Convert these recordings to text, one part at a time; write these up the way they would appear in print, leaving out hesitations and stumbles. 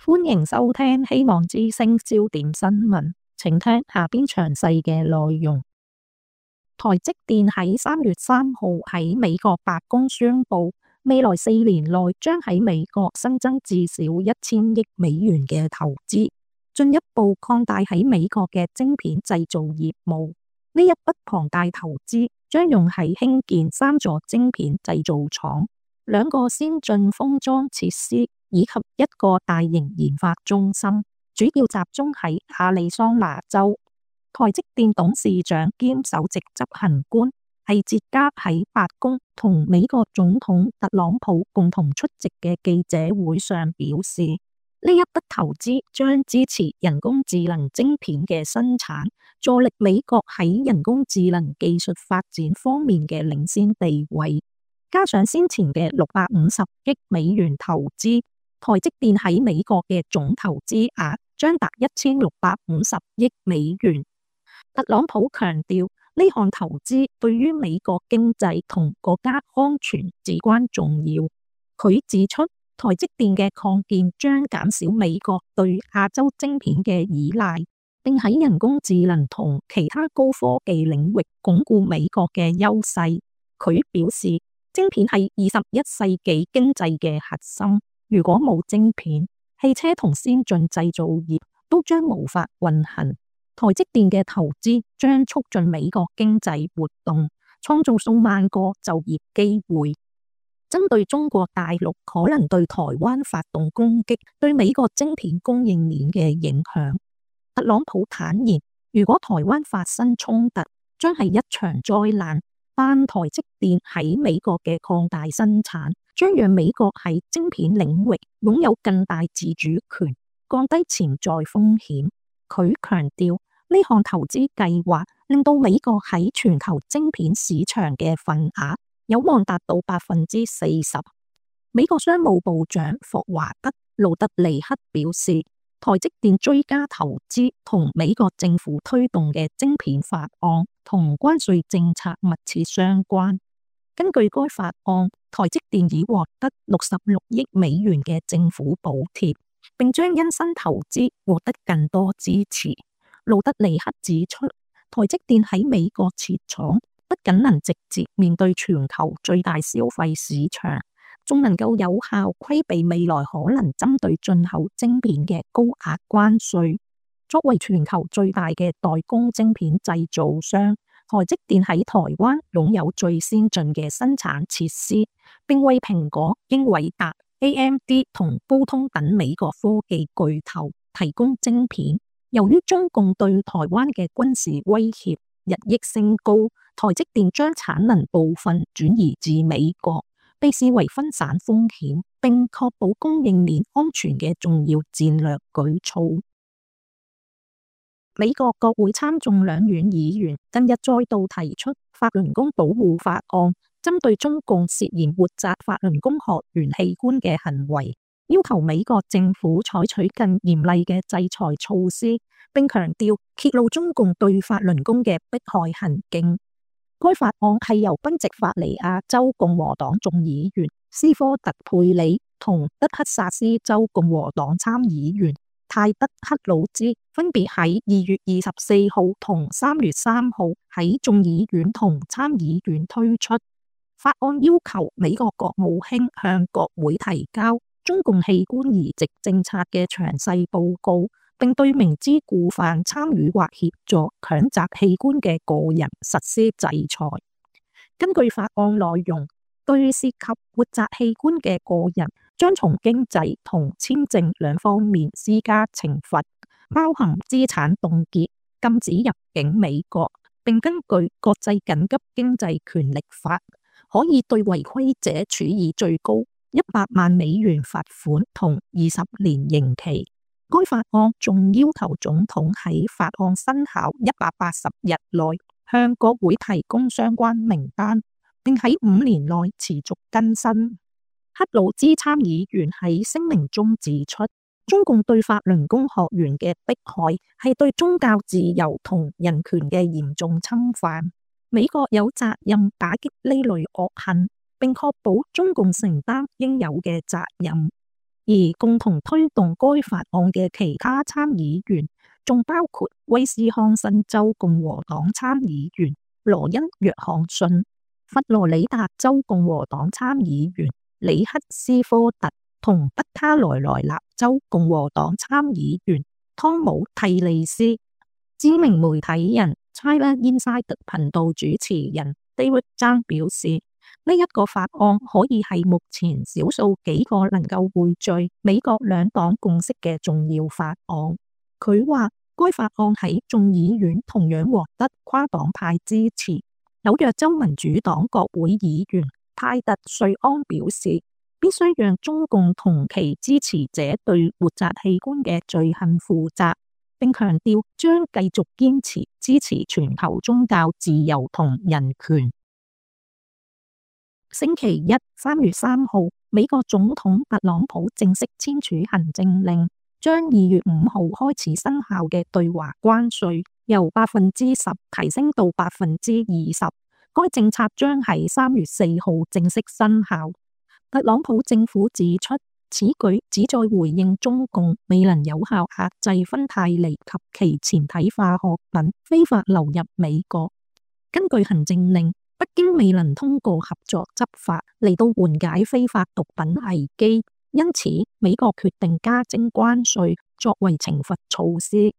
歡迎收聽希望之聲焦點新聞，請聽下邊詳細嘅內容。台積電喺3月3號喺美國白宮宣布，未來4年內將喺美國新增至少1000億美元嘅投資，進一步擴大喺美國嘅晶片製造業務。呢一筆龐大投資將用喺興建3座晶片製造廠、2個先進封裝設施以及1個大型研發中心，主要集中喺亞利桑那州。台積電董事長兼首席執行官係捷加喺白宮同美國總統特朗普共同出席嘅記者會上表示，呢一筆投資將支持人工智能晶片嘅生產，助力美國喺人工智能技術發展方面嘅領先地位。加上先前嘅650億美元投資，台積電喺美國嘅總投資額將達1650億美元。特朗普強調，呢項投資對於美國經濟同國家安全至關重要。佢指出，台積電嘅擴建將減少美國對亞洲晶片嘅依賴，並喺人工智能同其他高科技領域鞏固美國嘅優勢。佢表示，晶片係21世紀經濟嘅核心，如果冇晶片，汽車同先進製造業都將無法運行。台積電嘅投資將促進美國經濟活動，創造數萬個就業機會。針對中國大陸可能對台灣發動攻擊，對美國晶片供應鏈嘅影響，特朗普坦言，如果台灣發生衝突，將係一場災難。但台積電喺美國嘅擴大生產，將讓美國喺晶片領域擁有更大自主權，降低潛在風險。佢強調，呢項投資計劃令到美國喺全球晶片市場嘅份額有望達到40%。美國商務部長霍華德·盧特尼克表示，台積電追加投資同美國政府推動嘅晶片法案同關稅政策密切相關。根據該法案，台積電已獲得66億美元嘅政府補貼，並將因新投資獲得更多支持。盧特尼克指出，台積電喺美國設廠，不僅能直接面對全球最大消費市場，仲能夠有效規避未來可能針對進口晶片嘅高額關稅。作為全球最大嘅代工晶片製造商，台積電喺台灣擁有最先進嘅生產設施，並為蘋果、英偉達、AMD 同高通等美國科技巨頭提供晶片。由於中共對台灣嘅軍事威脅日益升高，台積電將產能部分轉移至美國，被視為分散風險並確保供應鏈安全嘅重要戰略舉措。美國國會參眾兩院議員近日再度提出法輪功保護法案，針對中共涉嫌活摘法輪功學員器官嘅行為，要求美國政府採取更嚴厲嘅制裁措施，並強調揭露中共對法輪功嘅迫害行徑。該法案係由賓夕法尼亞州共和黨眾議員斯科特佩里同德克薩斯州共和黨參議員泰德克魯茲分別喺2月24號同3月3號喺眾議院同參議院推出。法案要求美國國務卿向國會提交中共器官移植政策嘅詳細報告，並對明知故犯參與或協助強摘器官嘅個人實施制裁。根據法案內容，對涉及活摘器官嘅個人，將從經濟同簽證兩方面施加懲罰，包含資產凍結、禁止入境美國，並根據國際緊急經濟權力法，可以對違規者處以最高100萬美元罰款同20年刑期。該法案仲要求總統喺法案生效180日內向國會提供相關名單，並喺5年內持續更新。克魯茲參議員喺聲明中指出，中共對法輪功學員嘅迫害係對宗教自由同人權嘅嚴重侵犯。美國有責任打擊呢類惡行，並確保中共承擔應有嘅責任。而共同推動該法案嘅其他參議員，仲包括威斯康辛州共和黨參議員羅恩·約翰遜、佛羅里達州共和黨參議員里克斯科特同北卡羅來納州共和黨參議員湯姆·蒂利斯。知名媒體人 China Insider 頻道主持人 David Zhang 表示，呢一個法案可以係目前少數幾個能夠匯聚美國兩黨共識嘅重要法案。佢話，該法案喺眾議院同樣獲得跨黨派支持。紐約州民主黨國會議員派特瑞安表示，必須讓中共同其支持者對活摘器官嘅罪行負責，並強調將繼續堅持支持全球宗教自由同人權。星期一3月3號，美國總統特朗普正式簽署行政令，將2月5號開始生效嘅對華關稅由10%提升到20%。該政策將喺3月4號正式生效。特朗普政府指出，此舉旨在回應中共未能有效壓制芬太尼及其前體化學品非法流入美國。根據行政令，北京未能通過合作執法嚟到緩解非法毒品危機，因此美國決定加徵關稅作為懲罰措施。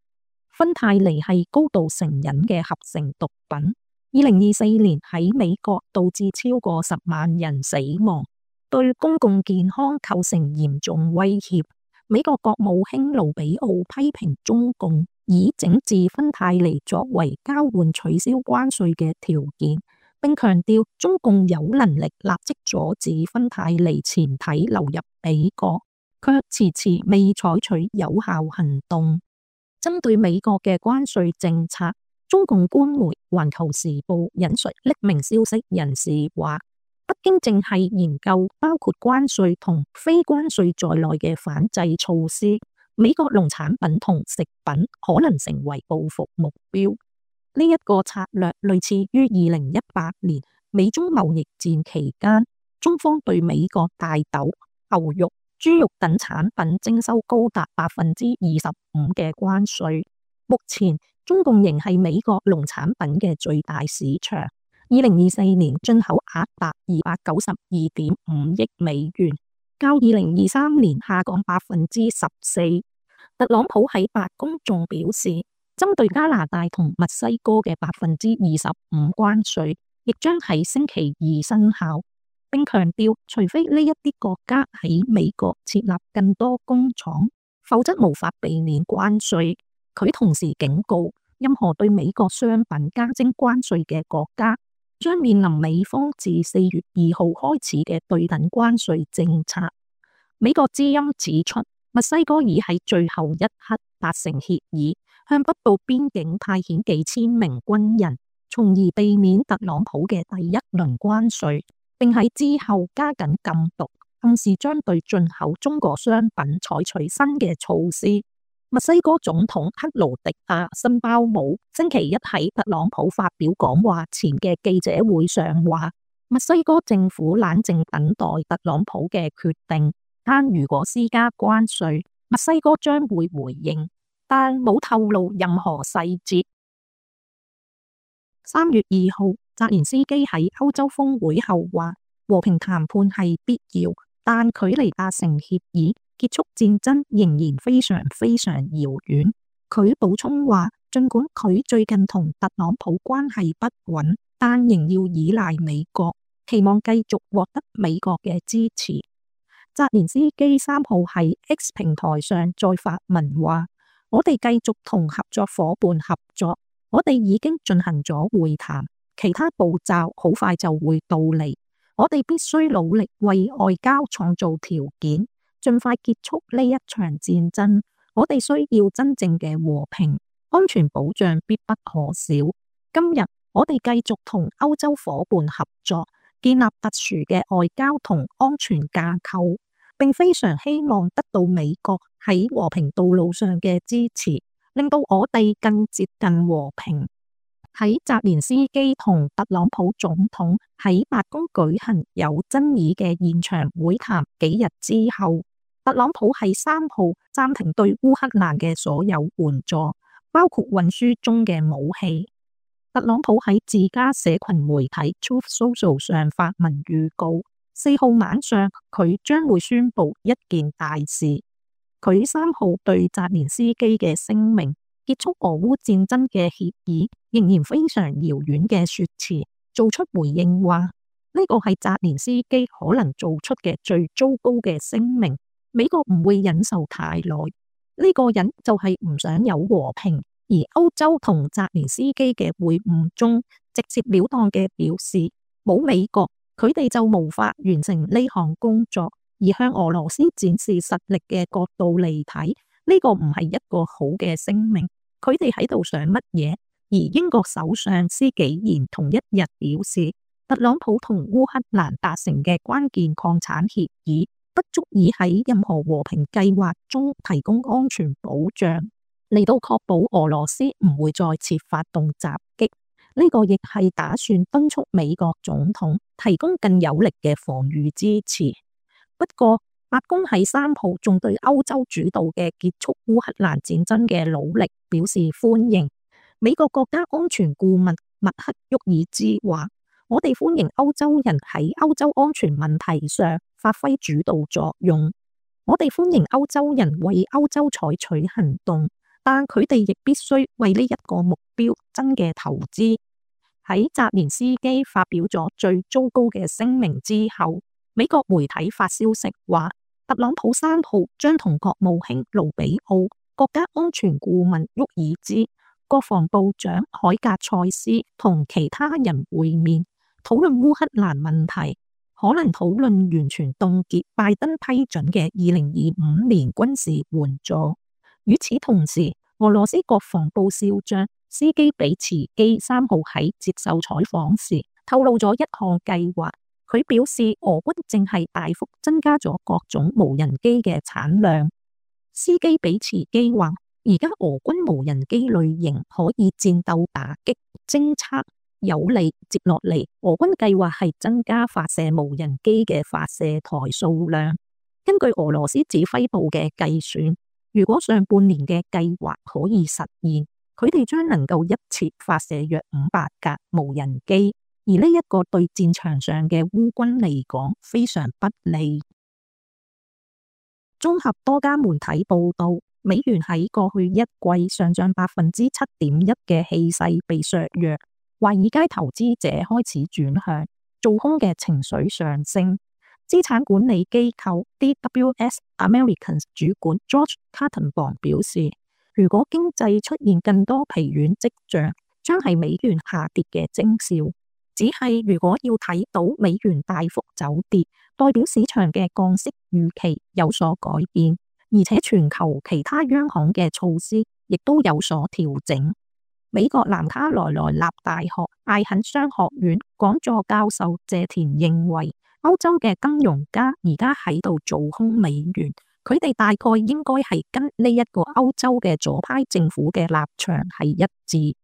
芬太尼係高度成癮嘅合成毒品，2024年喺美國導致超過10萬人死亡，對公共健康構成嚴重威脅。美國國務卿盧比奧批評中共以整治芬太尼作為交換取消關稅嘅條件，並強調中共有能力立即阻止芬太尼前體流入美國，卻遲遲未採取有效行動。針對美國嘅關稅政策，中共官媒《環球時報》引述匿名消息人士話，北京正係研究包括關稅同非關稅在內嘅反制措施，美國農產品同食品可能成為報復目標。呢一個策略類似於2018年美中貿易戰期間，中方對美國大豆、牛肉、豬肉等產品徵收高達25%嘅關稅。目前中共仍係美國農產品嘅最大市場，2024年進口額達292.5億美元，較2023年下降14%。特朗普喺白宮仲表示，針對加拿大同墨西哥嘅25%關稅，亦將喺星期二生效，並強調，除非呢一啲國家喺美國設立更多工廠，否則無法避免關稅。佢同時警告，任何對美國商品加徵關稅嘅國家，將面臨美方自4月2號開始嘅對等關稅政策。美國之音指出，墨西哥已喺最後一刻達成協議，向北部邊境派遣幾千名軍人，從而避免特朗普嘅第一輪關稅，並喺之後加緊禁毒，暗示將對進口中國商品採取新嘅措施。墨西哥總統克勞迪亞·辛鮑姆星期一喺特朗普發表講話前嘅記者會上話，墨西哥政府冷靜等待特朗普嘅決定，但如果施加關稅，墨西哥將會回應，但冇透露任何細節。3月2號，澤連斯基喺歐洲峰會後話，和平談判係必要，但距離達成協議結束戰爭仍然非常非常遙遠。佢補充話，儘管佢最近同特朗普關係不穩，但仍要依賴美國，期望繼續獲得美國嘅支持。澤連斯基3號喺 X 平台上再發文話，我哋繼續同合作夥伴合作，我哋已經進行咗會談，其他步驟好快就會到嚟。我哋必須努力為外交創造條件，盡快結束呢一場戰爭。我哋需要真正嘅和平，安全保障必不可少。今日我哋繼續同歐洲夥伴合作，建立特殊嘅外交同安全架構，並非常希望得到美國喺和平道路上嘅支持，令到我哋更接近和平。喺澤連斯基同特朗普總統喺白宮舉行有爭議嘅現場會談幾日之後，特朗普喺3號暫停對烏克蘭嘅所有援助，包括運輸中嘅武器。特朗普喺自家社群媒體 Truth Social 上發文預告，4號晚上佢將會宣布一件大事。佢3號對澤連斯基嘅聲明，結束俄烏戰爭嘅協議仍然非常遙遠嘅說辭，做出回應話，呢個係澤連斯基可能做出嘅最糟糕嘅聲明，美國唔會忍受太耐。呢個人就係唔想有和平。而歐洲同澤連斯基嘅會晤中，直接了當嘅表示，冇美國，佢哋就無法完成呢項工作。而向俄羅斯展示實力嘅角度嚟睇，呢個唔係一個好嘅聲明。佢哋喺度想乜嘢？而英國首相施紀賢同一日表示，特朗普同烏克蘭達成嘅關鍵礦產協議，不足以喺任何和平計劃中提供安全保障，嚟到確保俄羅斯唔會再次發動襲擊。呢個亦係打算敦促美國總統提供更有力嘅防禦支持。不過，白宮喺3號仲對歐洲主導嘅結束烏克蘭戰爭嘅努力表示歡迎。美國國家安全顧問麥克沃爾茲話：我哋歡迎歐洲人喺歐洲安全問題上發揮主導作用。我哋歡迎歐洲人為歐洲採取行動，但佢哋亦必須為呢一個目標真嘅投資。喺澤連斯基發表咗最糟糕嘅聲明之後，美國媒體發消息話，特朗普3號將同國務卿盧比奧、國家安全顧問沃爾茲、國防部長海格塞斯同其他人會面，討論烏克蘭問題，可能討論完全凍結拜登批准嘅2025年軍事援助。與此同時，俄羅斯國防部少將斯基比茨基3號喺接受採訪時透露咗一項計劃。佢表示，俄軍正係大幅增加咗各種無人機嘅產量。斯基比茨基話，而家俄軍無人機類型可以戰鬥、打擊、偵測，有利。接落嚟，俄軍計劃係增加發射無人機嘅發射台數量。根據俄羅斯指揮部嘅計算，如果上半年嘅計劃可以實現，佢哋將能夠一次發射約500架無人機。而呢一個對戰場上嘅烏軍嚟講非常不利。綜合多家媒體報道，美元喺過去一季上漲7.1%嘅氣勢被削弱，華爾街投資者開始轉向，做空嘅情緒上升。資產管理機構 DWS Americans 主管 George Kattenbaum 表示，如果經濟出現更多疲軟跡象，將係美元下跌嘅徵兆。只係如果要睇到美元大幅走跌，代表市場嘅降息預期有所改變，而且全球其他央行嘅措施亦都有所調整。美國南卡羅來納大學艾肯商學院講座教授謝田認為，歐洲嘅金融家而家喺度做空美元，佢哋大概應該係跟呢一個歐洲嘅左派政府嘅立場係一致。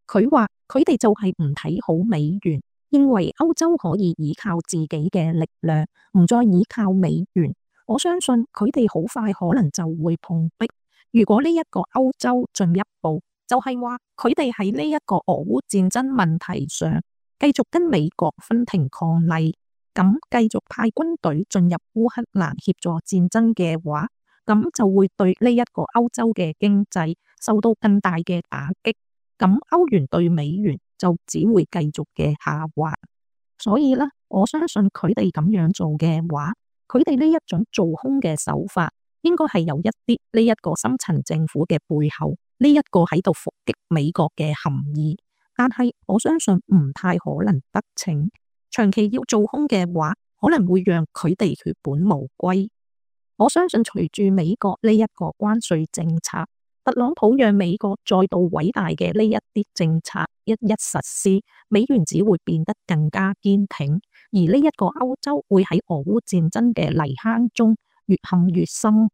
佢話佢哋就係唔睇好美元，認為歐洲可以依靠自己嘅力量，唔再依靠美元。我相信佢哋好快可能就會碰壁。如果呢一個歐洲進一步，就係話佢哋喺呢一個俄烏戰爭問題上繼續跟美國分庭抗禮，咁繼續派軍隊進入烏克蘭協助戰爭嘅話，咁就會對呢一個歐洲嘅經濟受到更大嘅打擊。咁歐元對美元就只會繼續嘅下滑，所以呢，我相信佢哋咁樣做嘅話，佢哋呢一種做空嘅手法，應該係有一啲呢一個深層政府嘅背後，呢一個喺度伏擊美國嘅含義。但係我相信唔太可能得逞，長期要做空嘅話，可能會讓佢哋血本無歸。我相信隨住美國呢一個關稅政策，特朗普讓美國再度偉大嘅呢一啲政策一一實施，美元只會變得更加堅挺，而呢一個歐洲會喺俄烏戰爭嘅泥坑中越陷越深。